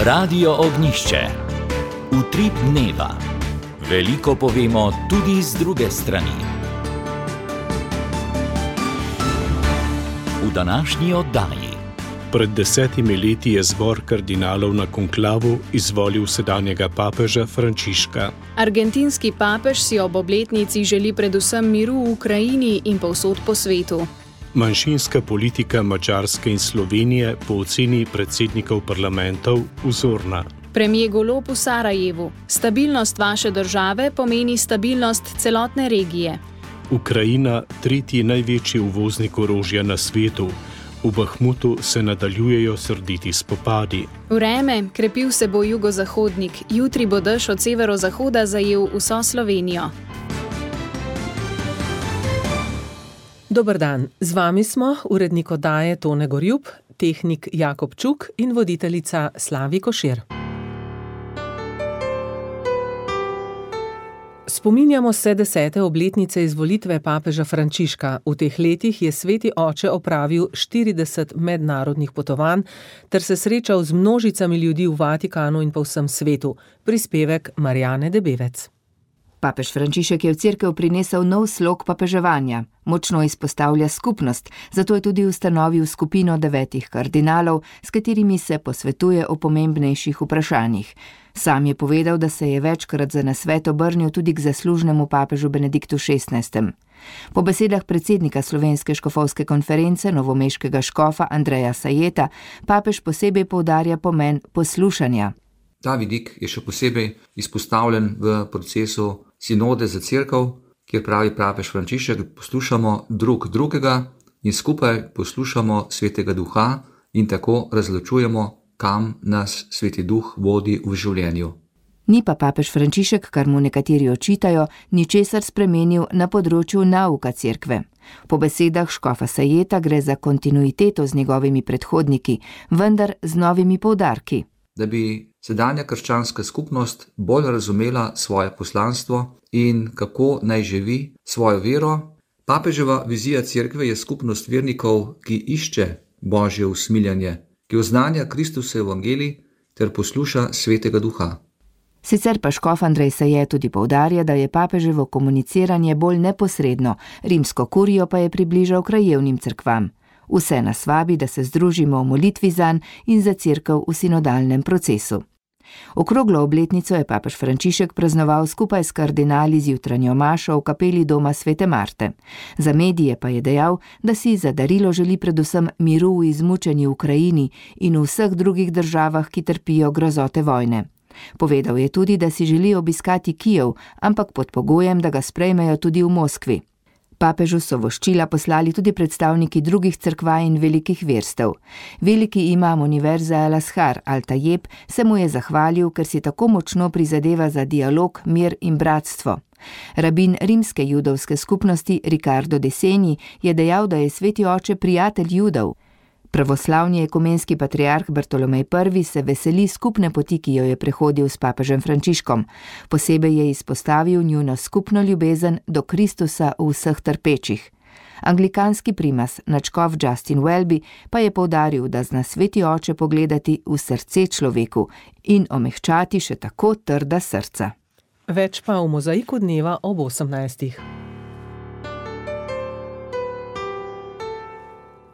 Radio Ognjišče. Utrip dneva. Veliko povemo tudi z druge strani. V današnji oddaji. Pred 10 leti je zbor kardinalov na konklavu izvolil sedanjega papeža Frančiška. Argentinski papež si ob obletnici želi predvsem miru v Ukrajini in povsod po svetu. Manjšinska politika Madžarske in Slovenije po oceni predsednikov parlamentov vzorna. Premier Golob v Sarajevu. Stabilnost vaše države pomeni stabilnost celotne regije. Ukrajina, tretji največji uvoznik orožja na svetu. V Bahmutu se nadaljujejo srditi spopadi. Vreme, krepil se bo jugozahodnik, jutri bo dež od severozahoda zajel vso Slovenijo. Dober dan, z vami smo urednik oddaje Tone Gorjup, tehnik Jakob Čuk in voditeljica Slavi Košir. Spominjamo se 10. obletnice izvolitve papeža Frančiška. V teh letih je sveti oče opravil 40 mednarodnih potovanj ter se srečal z množicami ljudi v Vatikanu in po vsem svetu. Prispevek Marjane Debevec. Papež Frančišek je v cerkev prinesel nov slog papeževanja. Močno izpostavlja skupnost, zato je tudi ustanovil skupino 9 kardinalov, s katerimi se posvetuje o pomembnejših vprašanjih. Sam je povedal, da se je večkrat za nasvet obrnil tudi k zaslužnemu papežu Benediktu XVI. Po besedah predsednika Slovenske škofovske konference, novomeškega škofa Andreja Sajeta, papež posebej poudarja pomen poslušanja. Ta vidik je še posebej izpostavljen v procesu sinode za cerkev, kjer pravi papež Frančišek, poslušamo drug drugega in skupaj poslušamo Svetega Duha in tako razločujemo, kam nas Sveti Duh vodi v življenju. Ni pa papež Frančišek, kar mu nekateri očitajo, ničesar spremenil na področju nauka cerkve. Po besedah škofa Sajeta gre za kontinuiteto z njegovimi predhodniki, vendar z novimi poudarki. Da bi sedanja krščanska skupnost bolj razumela svoje poslanstvo in kako naj živi svojo vero, papeževa vizija cerkve je skupnost vernikov, ki išče Božje usmiljanje, ki oznanja Kristusov evangelij ter posluša Svetega Duha. Sicer pa škof Andrej Saje tudi poudarja, da je papeževo komuniciranje bolj neposredno, rimsko kurijo pa je približal krajevnim cerkvam. Vse nas vabi, da se združimo v molitvi zanj in za cerkev v sinodalnem procesu. Okroglo obletnico je papež Frančišek praznoval skupaj s kardinali z jutranjo mašo v kapeli doma Svete Marte. Za medije pa je dejal, da si za darilo želi predvsem miru v izmučeni Ukrajini in v vseh drugih državah, ki trpijo grozote vojne. Povedal je tudi, da si želi obiskati Kijev, ampak pod pogojem, da ga sprejmejo tudi v Moskvi. Papežu so voščila poslali tudi predstavniki drugih cerkva in velikih verstev. Veliki imam univerze Al-Azhar Al-Tajeb se mu je zahvalil, ker si tako močno prizadeva za dialog, mir in bratstvo. Rabin rimske judovske skupnosti Ricardo De Segni je dejal, da je sveti oče prijatelj Judov. Pravoslavni ekumenski patriarh Bartolomej I se veseli skupne poti, ki jo je prehodil s papežem Frančiškom. Posebej je izpostavil njuno skupno ljubezen do Kristusa v vseh trpečih. Anglikanski primas, nadškof Justin Welby, pa je poudaril, da zna sveti oče pogledati v srce človeku in omehčati še tako trda srca. Več pa v mozaiku dneva ob 18.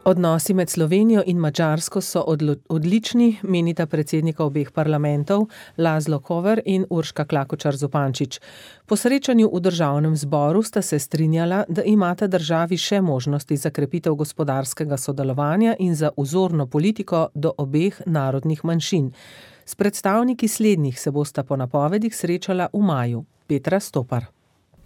Odnosi med Slovenijo in Madžarsko so odlični, menita predsednika obeh parlamentov Laszlo Kover in Urška Klakočar Zupančič. Po srečanju v državnem zboru sta se strinjala, da imata državi še možnosti za krepitev gospodarskega sodelovanja in za vzorno politiko do obeh narodnih manjšin. S predstavniki slednjih se bosta po napovedih srečala v maju. Petra Stopar.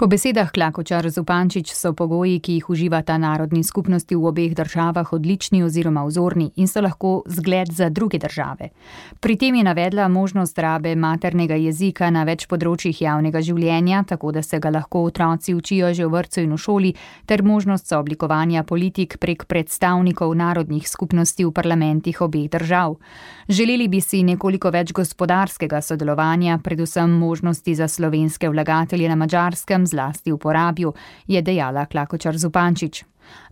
Po besedah Klakočar Zupančič so pogoji, ki jih uživata narodni skupnosti v obeh državah, odlični oziroma vzorni in so lahko zgled za druge države. Pri tem je navedla možnost rabe maternega jezika na več področjih javnega življenja, tako da se ga lahko otroci učijo že v vrtcu in v šoli, ter možnost sooblikovanja politik prek predstavnikov narodnih skupnosti v parlamentih obeh držav. Želeli bi si nekoliko več gospodarskega sodelovanja, predvsem možnosti za slovenske vlagatelje na Madžarskem zlasti v Porabju, je dejala Klakočar Zupančič.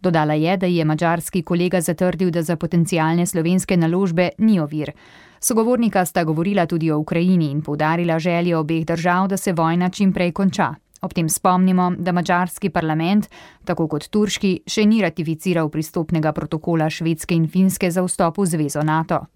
Dodala je, da je madžarski kolega zatrdil, da za potencialne slovenske naložbe ni ovir. Sogovornika sta govorila tudi o Ukrajini in poudarila željo obeh držav, da se vojna čim prej konča. Ob tem spomnimo, da madžarski parlament, tako kot turški, še ni ratificiral pristopnega protokola Švedske in Finske za vstop v zvezo NATO.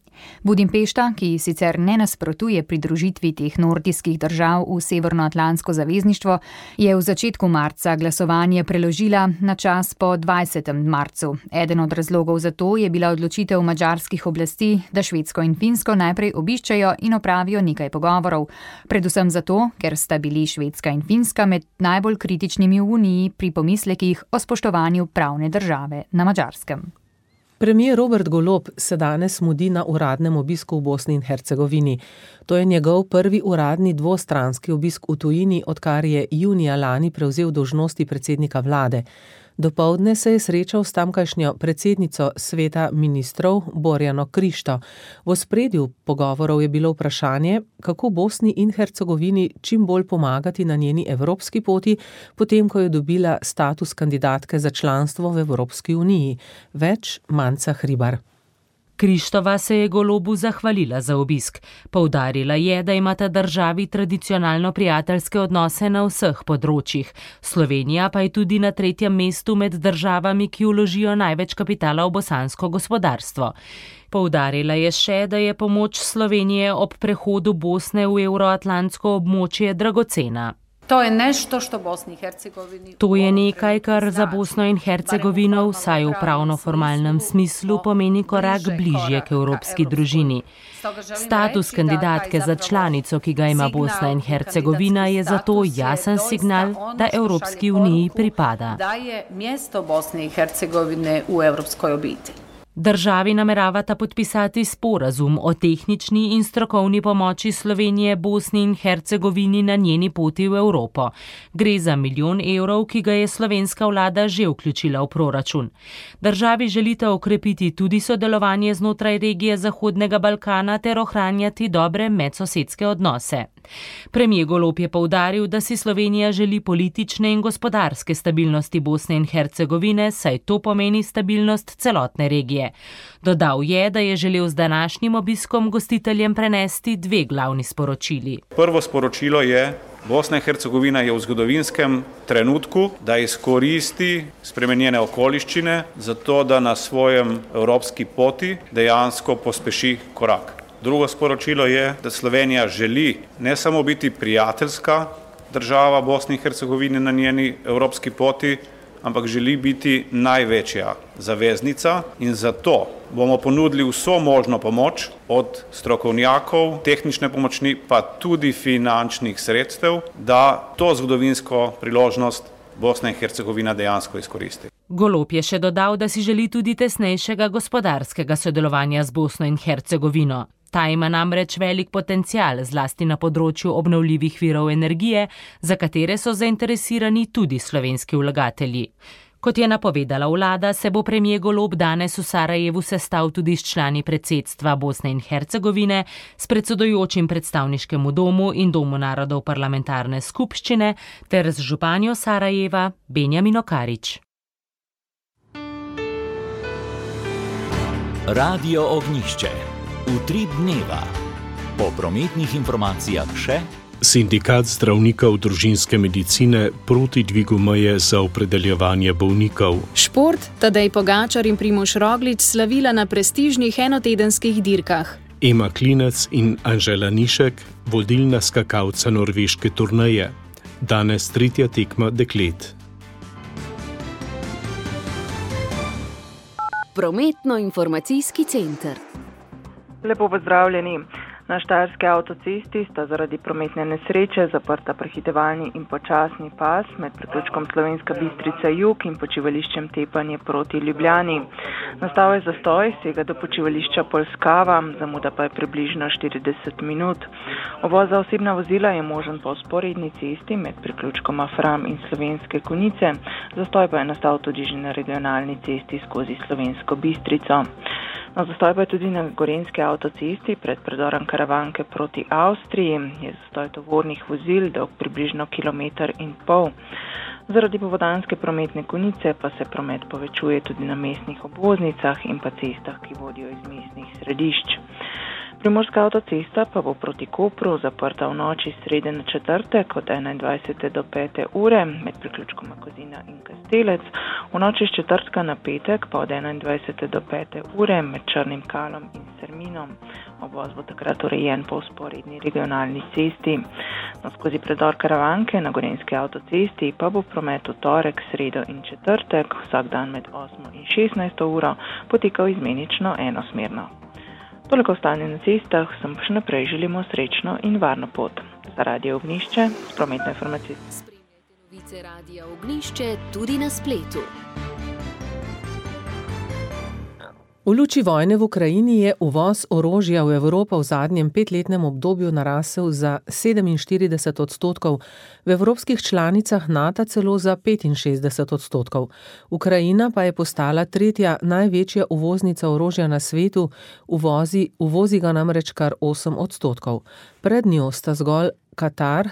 Budimpešta, ki sicer ne nasprotuje pridružitvi teh nordijskih držav v Severnoatlantsko zavezništvo, je v začetku marca glasovanje preložila na čas po 20. marcu. Eden od razlogov za to je bila odločitev madžarskih oblasti, da Švedsko in Finsko najprej obiščejo in opravijo nekaj pogovorov. Predvsem zato, ker sta bili Švedska in Finska med najbolj kritičnimi v Uniji pri pomislekih o spoštovanju pravne države na Madžarskem. Premier Robert Golob se danes mudi na uradnem obisku v Bosni in Hercegovini. To je njegov prvi uradni dvostranski obisk v tujini, odkar je junija lani prevzel dolžnosti predsednika vlade. Dopoldne se je srečal s tamkajšnjo predsednico sveta ministrov Borjano Krišto. V ospredju pogovorov je bilo vprašanje, kako Bosni in Hercegovini čim bolj pomagati na njeni evropski poti, potem ko je dobila status kandidatke za članstvo v Evropski uniji. Več Manca Hribar. Krištova se je Golobu zahvalila za obisk. Poudarila je, da imata državi tradicionalno prijateljske odnose na vseh področjih. Slovenija pa je tudi na 3. mestu med državami, ki vložijo največ kapitala v bosansko gospodarstvo. Poudarila je še, da je pomoč Slovenije ob prehodu Bosne v euroatlantsko območje dragocena. To je nešto što Bosni in Hercegovini. To je nekaj, kar za Bosno in Hercegovino vsaj v pravno-formalnem smislu pomeni korak bližje k evropski družini. Status kandidatke za članico, ki ga ima Bosna in Hercegovina, je zato jasen signal, da Evropski uniji pripada. Da je mjesto Bosne in Hercegovine v evropskoj obitelji. Državi nameravata podpisati sporazum o tehnični in strokovni pomoči Slovenije Bosni in Hercegovini na njeni poti v Evropo. Gre za 1 milijon evrov, ki ga je slovenska vlada že vključila v proračun. Državi želita okrepiti tudi sodelovanje znotraj regije Zahodnega Balkana ter ohranjati dobre medsosedske odnose. Premier Golob je poudaril, da si Slovenija želi politične in gospodarske stabilnosti Bosne in Hercegovine, saj to pomeni stabilnost celotne regije. Dodal je, da je želel z današnjim obiskom gostiteljem prenesti 2 glavni sporočili. Prvo sporočilo je, Bosna in Hercegovina je v zgodovinskem trenutku, da izkoristi spremenjene okoliščine, zato da na svojem evropski poti dejansko pospeši korak. Drugo sporočilo je, da Slovenija želi ne samo biti prijateljska država Bosni in Hercegovine na njeni evropski poti, ampak želi biti največja zaveznica in zato bomo ponudili vso možno pomoč od strokovnjakov, tehnične pomoči pa tudi finančnih sredstev, da to zgodovinsko priložnost Bosna in Hercegovina dejansko izkoristi. Golob je še dodal, da si želi tudi tesnejšega gospodarskega sodelovanja z Bosno in Hercegovino. Ta ima namreč velik potencial, zlasti na področju obnovljivih virov energije, za katere so zainteresirani tudi slovenski vlagatelji. Kot je napovedala vlada, se bo premier Golob danes v Sarajevu sestal tudi s člani predsedstva Bosne in Hercegovine, s predsedujočim predstavniškemu domu in domu narodov parlamentarne skupščine ter z županjo Sarajeva Benjamino Karič. Radio Ognjišče. Utrip dneva. Po prometnih informacijah še. Sindikat zdravnikov družinske medicine proti dvigu meje za opredeljevanje bolnikov. Šport, Tadej Pogačar in Primož Roglič slavila na prestižnih enotedenskih dirkah. Ema Klinec in Anžela Nišek, vodilna skakalca norveške turneje. Danes 3. tekma deklet. Prometno-informacijski center. Lepo pozdravljeni. Na štajerski avtocesti sta zaradi prometne nesreče zaprta prehitevalni in počasni pas med priključkom Slovenska Bistrica jug in počivališčem Tepanje proti Ljubljani. Nastal je zastoj, sega do počivališča Polskava, zamuda pa je približno 40 minut. Uvoz za osebna vozila je možen po vzporedni cesti med priključkoma Fram in Slovenske Konjice, zastoj pa je nastal tudi že na regionalni cesti skozi Slovensko Bistrico. No, zastoj pa je tudi na Gorenjski avtocesti pred predorom Karavanke proti Avstriji. Je zastoj tovornih vozil dolg približno 1,5 km. Zaradi popoldanske prometne konice pa se promet povečuje tudi na mestnih obvoznicah in pa cestah, ki vodijo iz mestnih središč. Primorska avtocesta pa bo proti Kopru zaprta v noči srede na četrtek od 21. do 5. ure med priključkoma Kozina in Kastelec, v noči s četrtka na petek pa od 21. do 5. ure med Črnim Kalom in Serminom. Obvoz bo takrat urejen po vzporedni regionalni cesti. No, skozi predor Karavanke na Gorenjski avtocesti pa bo promet v torek, sredo in četrtek vsak dan med 8. in 16. uro potekal izmenično enosmerno. Toliko stanje na cestah, sem pa še naprej želimo srečno in varno pot. Za Radio Ognjišče, prometne informacije. Spremljajte novice Radia Ognjišče tudi na spletu. V luči vojne v Ukrajini je uvoz orožja v Evropo v zadnjem 5-letnem obdobju narasel za 47%, v evropskih članicah NATO celo za 65%. Ukrajina pa je postala tretja največja uvoznica orožja na svetu, uvozi ga namreč kar 8%. Pred njo sta zgolj Katar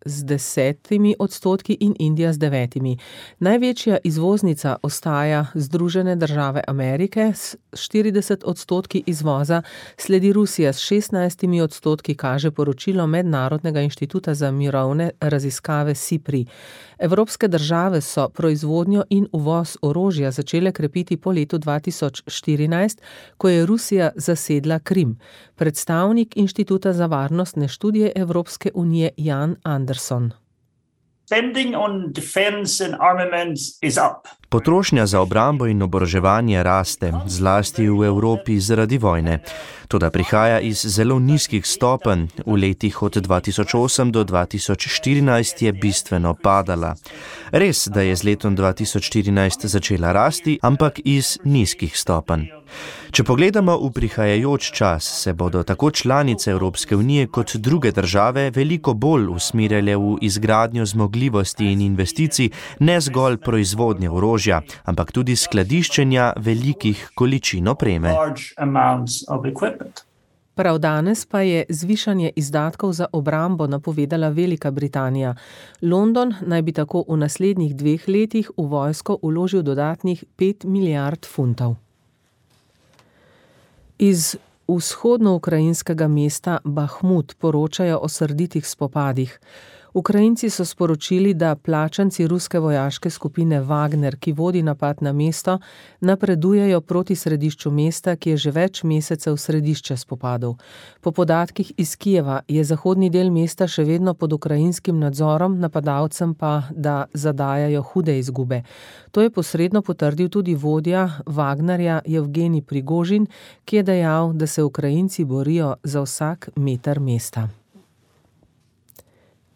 z 10% in Indija z 9%. Največja izvoznica ostaja Združene države Amerike s 40% izvoza, sledi Rusija s 16%, kaže poročilo Mednarodnega inštituta za mirovne raziskave SIPRI. Evropske države so proizvodnjo in uvoz orožja začele krepiti po letu 2014, ko je Rusija zasedla Krim. Predstavnik Inštituta za varnostne študije Evropske unije Jan Anderson. Potrošnja za obrambo in oboroževanje raste, zlasti v Evropi zaradi vojne. Toda prihaja iz zelo nizkih stopenj, v letih od 2008 do 2014 je bistveno padala. Res, da je z letom 2014 začela rasti, ampak iz nizkih stopenj. Če pogledamo v prihajajoč čas, se bodo tako članice Evropske unije kot druge države veliko bolj usmerjale v izgradnjo zmogljivosti in investicij, ne zgolj proizvodnje orožja, ampak tudi skladiščenja velikih količin opreme. Prav danes pa je zvišanje izdatkov za obrambo napovedala Velika Britanija. London naj bi tako v naslednjih 2 letih v vojsko vložil dodatnih 5 milijard funtov. Iz vzhodno-ukrajinskega mesta Bahmut poročajo o srditih spopadih. Ukrajinci so sporočili, da plačanci ruske vojaške skupine Wagner, ki vodi napad na mesto, napredujejo proti središču mesta, ki je že več mesecev središče spopadov. Po podatkih iz Kijeva je zahodni del mesta še vedno pod ukrajinskim nadzorom, napadalcem pa, da zadajajo hude izgube. To je posredno potrdil tudi vodja Wagnerja Jevgenij Prigožin, ki je dejal, da se Ukrajinci borijo za vsak meter mesta.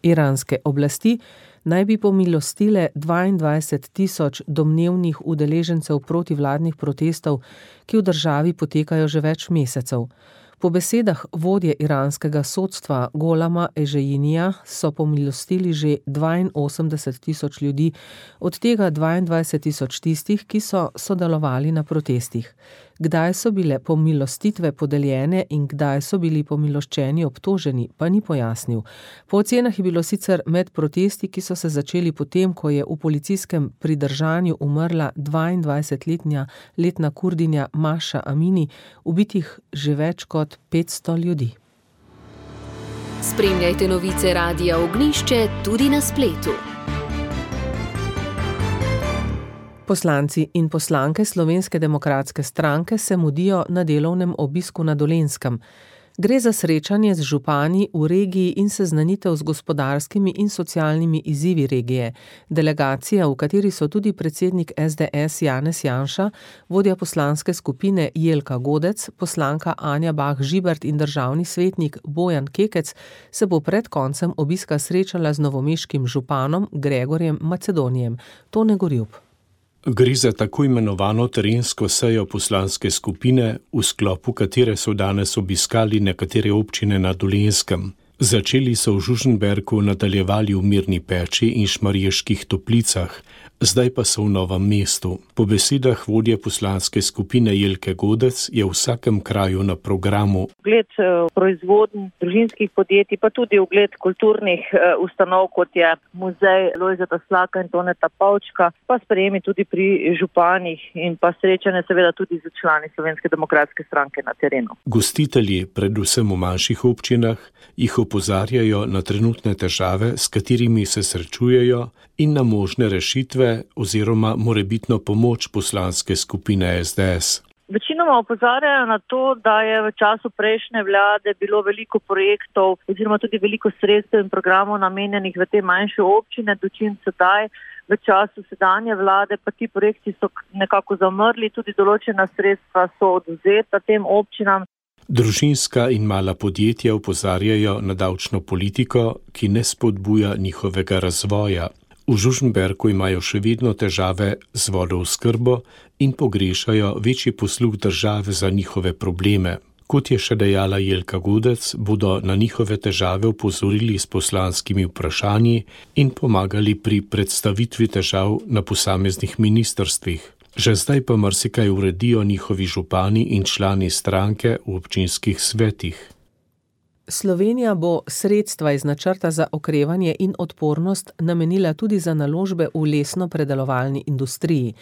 Iranske oblasti naj bi pomilostile 22.000 domnevnih udeležencev protivladnih protestov, ki v državi potekajo že več mesecev. Po besedah vodje iranskega sodstva Golama Ežejinija so pomilostili že 82.000 ljudi, od tega 22.000 tistih, ki so sodelovali na protestih. Kdaj so bile pomilostitve podeljene in kdaj so bili pomiloščeni obtoženi, pa ni pojasnil. Po ocenah je bilo sicer med protesti, ki so se začeli potem, ko je v policijskem pridržanju umrla 22-letna Kurdinja Maša Amini, ubitih že več kot 500 ljudi. Spremljajte novice Radia Ognjišče tudi na spletu. Poslanci in poslanke Slovenske demokratske stranke se mudijo na delovnem obisku na Dolenjskem. Gre za srečanje z župani v regiji in seznanitev z gospodarskimi in socialnimi izzivi regije. Delegacija, v kateri so tudi predsednik SDS Janez Janša, vodja poslanske skupine Jelka Godec, poslanka Anja Bah Žibert in državni svetnik Bojan Kekec, se bo pred koncem obiska srečala z novomeškim županom Gregorjem Macedonijem. Tone Gorjup. Gre za tako imenovano terensko sejo poslanske skupine, v sklopu katere so danes obiskali nekatere občine na Dolenjskem. Začeli so v Žužemberku, nadaljevali v Mirni Peči in Šmarjeških Toplicah. zdaj pa so v Novem mestu. Po besedah vodje poslanske skupine Jelke Godec je v vsakem kraju na programu ugled proizvodnj družinskih podjetij, pa tudi ugled kulturnih ustanov, kot je muzej Lojzeta Slaka in Toneta Pavčka, pa sprejemi tudi pri županih in pa srečanje seveda tudi z člani Slovenske demokratske stranke na terenu. Gostitelji, predvsem v manjših občinah, jih opozarjajo na trenutne težave, s katerimi se srečujejo, in na možne rešitve oziroma morebitno pomoč poslanske skupine SDS. Večinoma opozarjajo na to, da je v času prejšnje vlade bilo veliko projektov oziroma tudi veliko sredstev in programov namenjenih v te manjše občine, dočim sedaj v času sedanje vlade pa ti projekti so nekako zamrli, tudi določena sredstva so odvzeta tem občinam. Družinska in mala podjetja opozarjajo na davčno politiko, ki ne spodbuja njihovega razvoja. V Žužemberku imajo še vedno težave z vodooskrbo in pogrešajo večji posluh države za njihove probleme. Kot je še dejala Jelka Godec, bodo na njihove težave opozorili s poslanskimi vprašanji in pomagali pri predstavitvi težav na posameznih ministrstvih. Že zdaj pa marsikaj uredijo njihovi župani in člani stranke v občinskih svetih. Slovenija bo sredstva iz načrta za okrevanje in odpornost namenila tudi za naložbe v lesno-predelovalni industriji.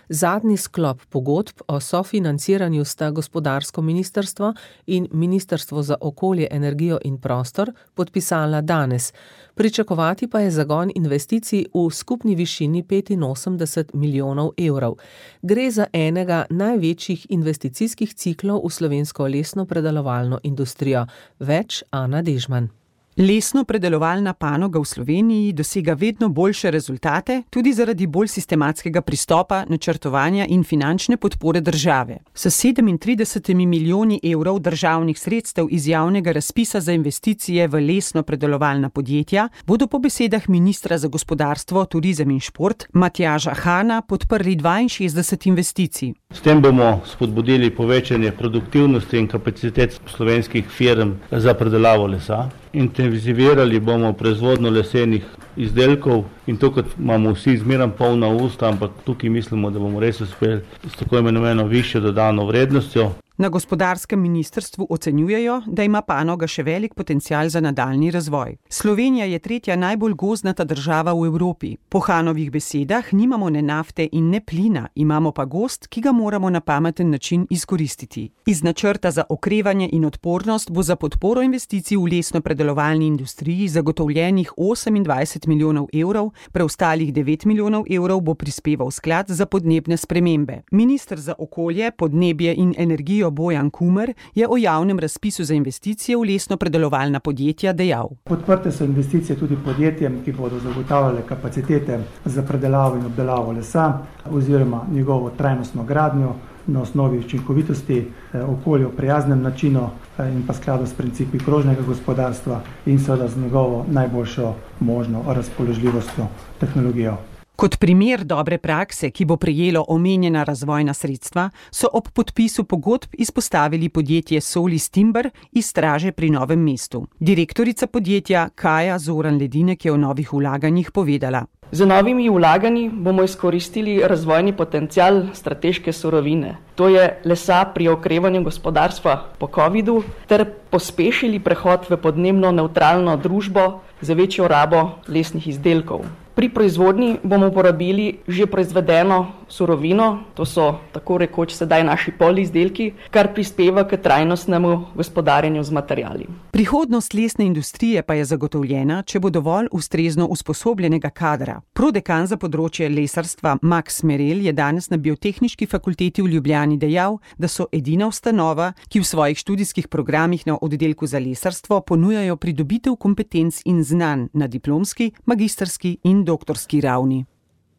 Zadnji sklop pogodb o sofinanciranju sta gospodarsko ministrstvo in Ministrstvo za okolje, energijo in prostor podpisala danes. Pričakovati pa je zagon investicij v skupni višini 85 milijonov evrov. Gre za enega največjih investicijskih ciklov v slovensko lesno-predelovalno industrijo. Več Ana Dežman. Lesno-predelovalna panoga v Sloveniji dosega vedno boljše rezultate, tudi zaradi bolj sistematskega pristopa, načrtovanja in finančne podpore države. S 37 milijoni evrov državnih sredstev iz javnega razpisa za investicije v lesno-predelovalna podjetja bodo po besedah ministra za gospodarstvo, turizem in šport Matjaža Hana podprli 62 investicij. S tem bomo spodbudili povečanje produktivnosti in kapacitet slovenskih firm za predelavo lesa. Intenzivirali bomo proizvodnjo lesenih izdelkov in to, kot imamo vsi zmeraj polna usta, ampak tukaj mislimo, da bomo res uspeli s tako imenovano višjo dodano vrednostjo. Na gospodarskem ministrstvu ocenjujejo, da ima panoga še velik potencial za nadaljnji razvoj. Slovenija je tretja najbolj gozdnata država v Evropi. Po Hanovih besedah nimamo ne nafte in ne plina, imamo pa gozd, ki ga moramo na pameten način izkoristiti. Iz načrta za okrevanje in odpornost bo za podporo investicij v lesno-predelovalni industriji zagotovljenih 28 milijonov evrov, preostalih 9 milijonov evrov bo prispeval sklad za podnebne spremembe. Minister za okolje, podnebje in energijo Bojan Kumer je o javnem razpisu za investicije v lesno-predelovalna podjetja dejal. Podprte so investicije tudi podjetjem, ki bodo zagotavljale kapacitete za predelavo in obdelavo lesa oziroma njegovo trajnostno gradnjo na osnovi učinkovitosti, okolju prijaznem načinu in pa skladu s principi krožnega gospodarstva in seveda z njegovo najboljšo možno razpoložljivostjo tehnologijo. Kot primer dobre prakse, ki bo prejelo omenjena razvojna sredstva, so ob podpisu pogodb izpostavili podjetje Solis Timber iz Straže pri Novem mestu. Direktorica podjetja Kaja Zoran Ledinek je o novih vlaganjih povedala. Z novimi vlaganji bomo izkoristili razvojni potencial strateške surovine. To je lesa pri okrevanju gospodarstva po covidu ter pospešili prehod v podnebno nevtralno družbo za večjo rabo lesnih izdelkov. Pri proizvodnji bomo uporabili že proizvedeno surovino, to so tako rekoč sedaj naši polizdelki, kar prispeva k trajnostnemu gospodarjenju z materiali. Prihodnost lesne industrije pa je zagotovljena, če bo dovolj ustrezno usposobljenega kadra. Prodekan za področje lesarstva Max Merel je danes na Biotehniški fakulteti v Ljubljani dejal, da so edina ustanova, ki v svojih študijskih programih na oddelku za lesarstvo ponujajo pridobitev kompetenc in znanj na diplomski, magistrski in doktorski ravni.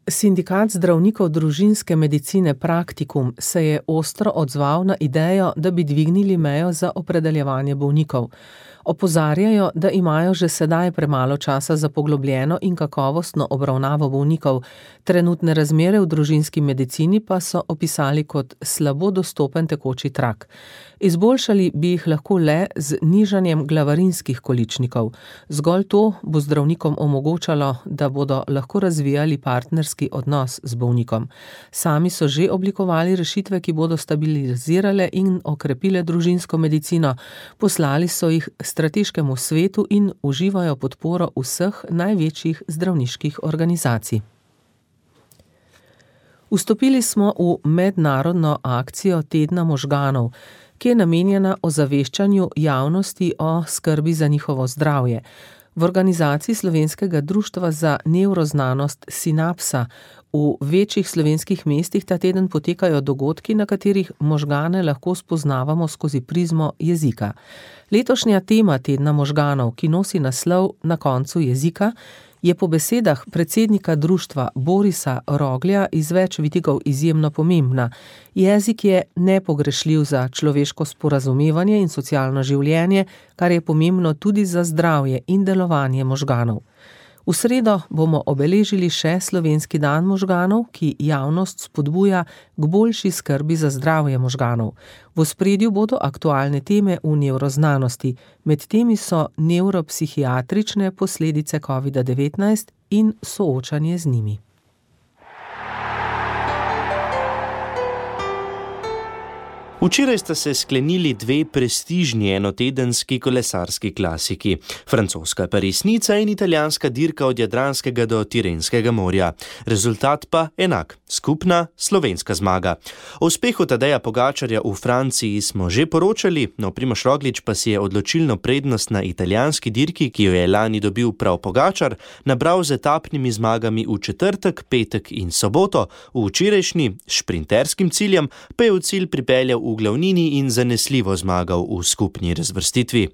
Sindikat zdravnikov družinske medicine Praktikum se je ostro odzval na idejo, da bi dvignili mejo za opredeljevanje bolnikov. Opozarjajo, da imajo že sedaj premalo časa za poglobljeno in kakovostno obravnavo bolnikov. Trenutne razmere v družinski medicini pa so opisali kot slabo dostopen tekoči trak. Izboljšali bi jih lahko le z nižanjem glavarinskih količnikov. Zgolj to bo zdravnikom omogočalo, da bodo lahko razvijali partnerski odnos z bolnikom. Sami so že oblikovali rešitve, ki bodo stabilizirale in okrepile družinsko medicino. Poslali so jih strateškemu svetu in uživajo podporo vseh največjih zdravniških organizacij. Vstopili smo v mednarodno akcijo Tedna možganov, ki je namenjena ozaveščanju javnosti o skrbi za njihovo zdravje. V organizaciji Slovenskega društva za nevroznanost Sinapsa v večjih slovenskih mestih ta teden potekajo dogodki, na katerih možgane lahko spoznavamo skozi prizmo jezika. Letošnja tema Tedna možganov, ki nosi naslov Na koncu jezika, je po besedah predsednika društva Borisa Roglja iz več vidikov izjemno pomembna. Jezik je nepogrešljiv za človeško sporazumevanje in socialno življenje, kar je pomembno tudi za zdravje in delovanje možganov. V sredo bomo obeležili še Slovenski dan možganov, ki javnost spodbuja k boljši skrbi za zdravje možganov. V ospredju bodo aktualne teme v nevroznanosti, med temi so nevropsihiatrične posledice COVID-19 in soočanje z njimi. Včeraj sta se sklenili dve prestižni enotedenski kolesarski klasiki, francoska Parisnica in italijanska dirka od Jadranskega do Tirenskega morja. Rezultat pa enak, skupna slovenska zmaga. O uspehu Tadeja Pogačarja v Franciji smo že poročali, no Primož Roglič pa si je odločilno prednost na italijanski dirki, ki jo je lani dobil prav Pogačar, nabral z etapnimi zmagami v četrtek, petek in soboto, v včerajšnji šprinterskim ciljem pa je v cilj pripeljal v glavnini in zanesljivo zmagal v skupni razvrstitvi.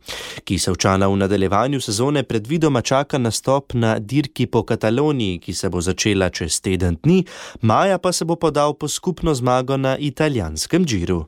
Kisovčana v nadaljevanju sezone predvidoma čaka nastop na dirki po Kataloniji, ki se bo začela čez teden dni, maja pa se bo podal po skupno zmago na italijanskem Giru.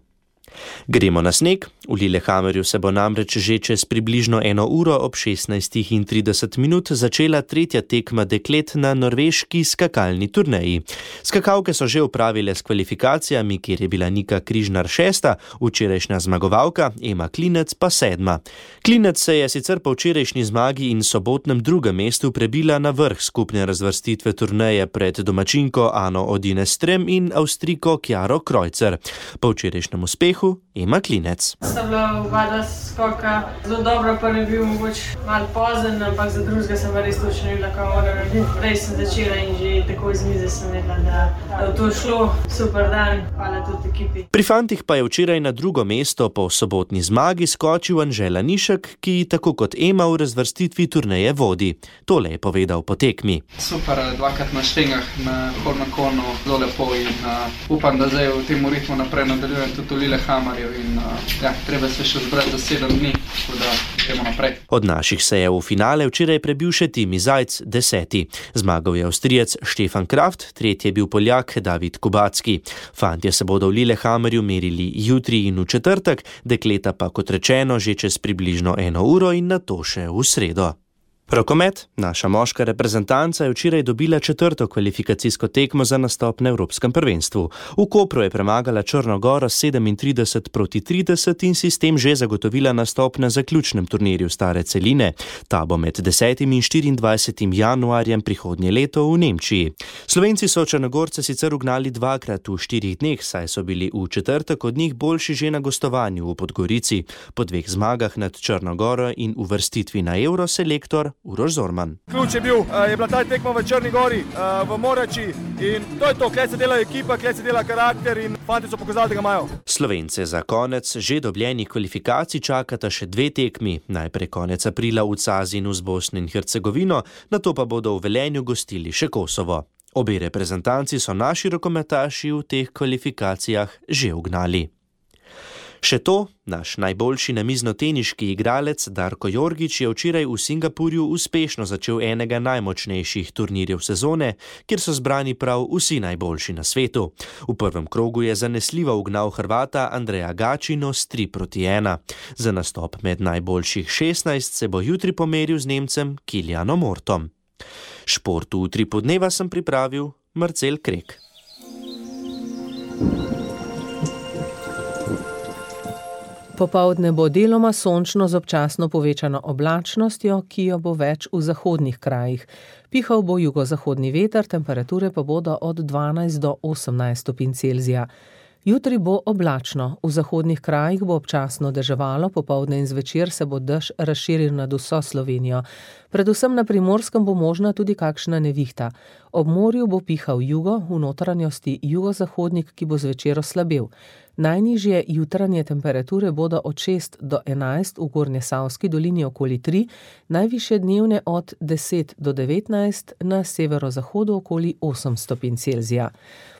Gremo na sneg. V Lillehammerju se bo namreč že čez približno 1 uro ob 16:30 začela tretja tekma deklet na norveški skakalni turneji. Skakalke so že opravile s kvalifikacijami, kjer je bila Nika Križnar 6., včerajšnja zmagovalka, Ema Klinec pa 7. Klinec se je sicer po včerajšnji zmagi in sobotnem drugem mestu prebila na vrh skupne razvrstitve turneje pred domačinko Ano Odine Strem in Avstrijko Chiaro Kreuzer. Po včerajšnjem uspehu Ema Klinec. Sta bila oba skoka zelo dobro, pa ne bil mogoče malo pozen, ampak za drugega sem res točno videla, kako moram narediti. Prej sem začela in že tako iz mize sem vedela, da je to šlo. Super dan, hvala tudi ekipi. Pri fantih pa je včeraj na drugo mesto po sobotni zmagi skočil Anže Lanišek, ki tako kot Ema v razvrstitvi turneje vodi. Tole je povedal po tekmi. Super, dvakrat na štengah, na Hornakonu, zelo lepo in upam, da zdaj v tem ritmu naprej nadaljujem tudi v Lillehammerju in treba se še zbrati za 7 dni, tako da gremo naprej. Od naših se je v finale včeraj prebil še Timi Zajc, 10. Zmagal je Avstrijec Štefan Kraft, 3. je bil Poljak David Kubacki. Fantje se bodo v Lillehammerju merili jutri in v četrtek, dekleta pa kot rečeno že čez približno 1 uro in nato še v sredo. Rokomet, naša moška reprezentanca je včeraj dobila 4. kvalifikacijsko tekmo za nastop na Evropskem prvenstvu. V Kopru je premagala Črno Goro 37-30 in si s tem že zagotovila nastop na zaključnem turnirju stare celine. Ta bo med 10. in 24. januarjem prihodnje leto v Nemčiji. Slovenci so Črnogorce sicer ugnali 2-krat v 4 dneh, saj so bili v četrtek od njih boljši že na gostovanju v Podgorici. Po 2 zmagah nad Črno Goro in uvrstitvi na Euro selektor Uroš Zorman. Ključ je bila ta tekma v Črni Gori, v Morači in to je to, kje se dela ekipa, kje se dela karakter in fanti so pokazali, da ga imajo. Slovence za konec že dobljenih kvalifikacij čakata še 2 tekmi, najprej konec aprila v Cazinu z Bosno in Hercegovino, nato pa bodo v Velenju gostili še Kosovo. Obe reprezentanci so naši rokometaši v teh kvalifikacijah že ugnali. Še to, naš najboljši namiznoteniški igralec Darko Jorgić je včeraj v Singapurju uspešno začel enega najmočnejših turnirjev sezone, kjer so zbrani prav vsi najboljši na svetu. V prvem krogu je zanesljivo ugnal Hrvata Andreja Gačino s 3-1. Za nastop med najboljših 16 se bo jutri pomeril z Nemcem Kilianom Ortom. Šport v Utripu dneva sem pripravil Marcel Krek. Popoldne bo deloma sončno z občasno povečano oblačnostjo, ki jo bo več v zahodnih krajih. Pihal bo jugozahodni veter, temperature pa bodo od 12 do 18 stopinj Celzija. Jutri bo oblačno, v zahodnih krajih bo občasno deževalo, popoldne in zvečer se bo dež razširil nad vso Slovenijo. Predvsem na Primorskem bo možna tudi kakšna nevihta. Ob morju bo pihal jugo, v notranjosti jugozahodnik, ki bo zvečer oslabel. Najnižje jutranje temperature bodo od 6 do 11, v Gornjesavski dolini okoli 3, najvišje dnevne od 10 do 19, na severozahodu okoli 8 stopinj Celzija.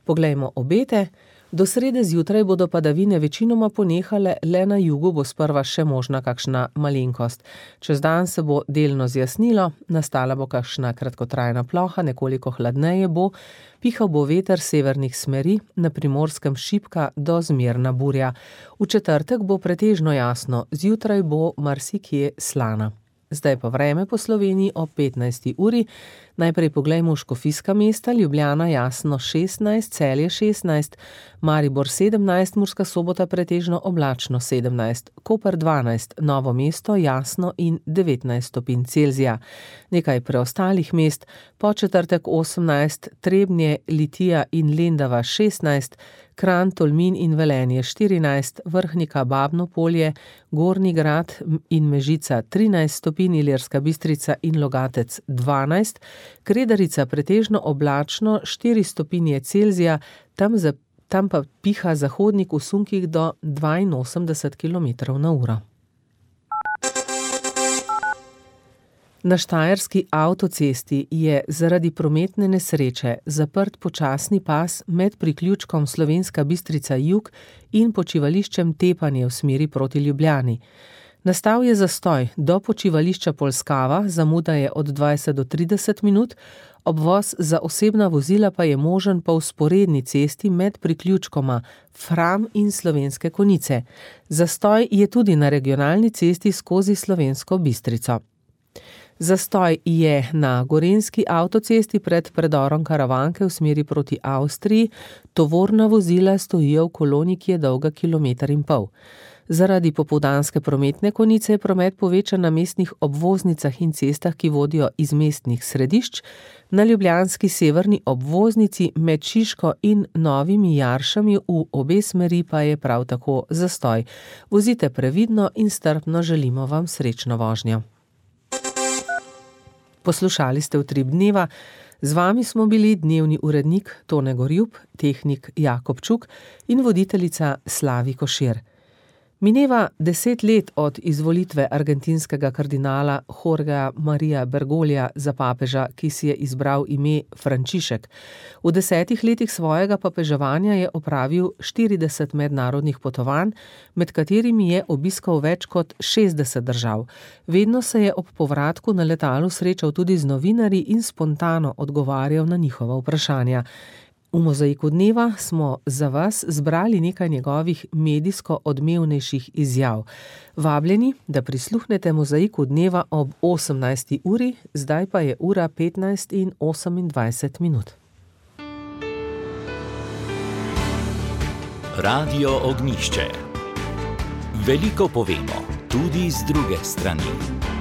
Poglejmo obete. Do srede zjutraj bodo padavine večinoma ponehale, le na jugu bo sprva še možna kakšna malenkost. Čez dan se bo delno zjasnilo, nastala bo kakšna kratkotrajna ploha, nekoliko hladneje bo, pihal bo veter severnih smeri, na Primorskem šibka do zmerna burja. V četrtek bo pretežno jasno, zjutraj bo marsikje slana. Zdaj pa vreme po Sloveniji ob 15. uri. Najprej poglejmo škofijska mesta, Ljubljana jasno 16, Celje 16, Maribor 17, Murska Sobota pretežno oblačno 17, Koper 12, Novo mesto jasno in 19 stopinj Celzija. Nekaj preostalih mest, Podčetrtek 18, Trebnje, Litija in Lendava 16, Kranj, Tolmin in Velenje 14, Vrhnika, Babno Polje, Gornji Grad in Mežica 13 stopinj, Ilirska Bistrica in Logatec 12, Kredarica pretežno oblačno 4 stopinje Celzija, tam pa piha zahodnik v sunkih do 82 km/h. Na Štajerski avtocesti je zaradi prometne nesreče zaprt počasni pas med priključkom Slovenska Bistrica jug in počivališčem Tepanje v smeri proti Ljubljani. Nastal je zastoj do počivališča Polskava, zamuda je od 20 do 30 minut, obvoz za osebna vozila pa je možen po vzporedni cesti med priključkoma Fram in Slovenske Konjice. Zastoj je tudi na regionalni cesti skozi Slovensko Bistrico. Zastoj je na Gorenjski avtocesti pred predorom Karavanke v smeri proti Avstriji, tovorna vozila stojijo v koloni, ki je dolga 1,5 km. Zaradi popoldanske prometne konice je promet povečan na mestnih obvoznicah in cestah, ki vodijo iz mestnih središč, na ljubljanski severni obvoznici med Šiško in Novimi Jaršami v obe smeri pa je prav tako zastoj. Vozite previdno in strpno, želimo vam srečno vožnjo. Poslušali ste Utrip dneva, z vami smo bili dnevni urednik Tone Gorjup, tehnik Jakob Čuk in voditeljica Slavi Košir. Mineva 10 let od izvolitve argentinskega kardinala Jorgea Maria Bergoglija za papeža, ki si je izbral ime Frančišek. V 10 letih svojega papeževanja je opravil 40 mednarodnih potovanj, med katerimi je obiskal več kot 60 držav. Vedno se je ob povratku na letalu srečal tudi z novinarji in spontano odgovarjal na njihova vprašanja. V Mozaiku dneva smo za vas zbrali nekaj njegovih medijsko odmevnejših izjav. Vabljeni, da prisluhnete Mozaiku dneva ob 18. uri, zdaj pa je ura 15:28. Radio Ognjišče. Veliko povemo, tudi z druge strani.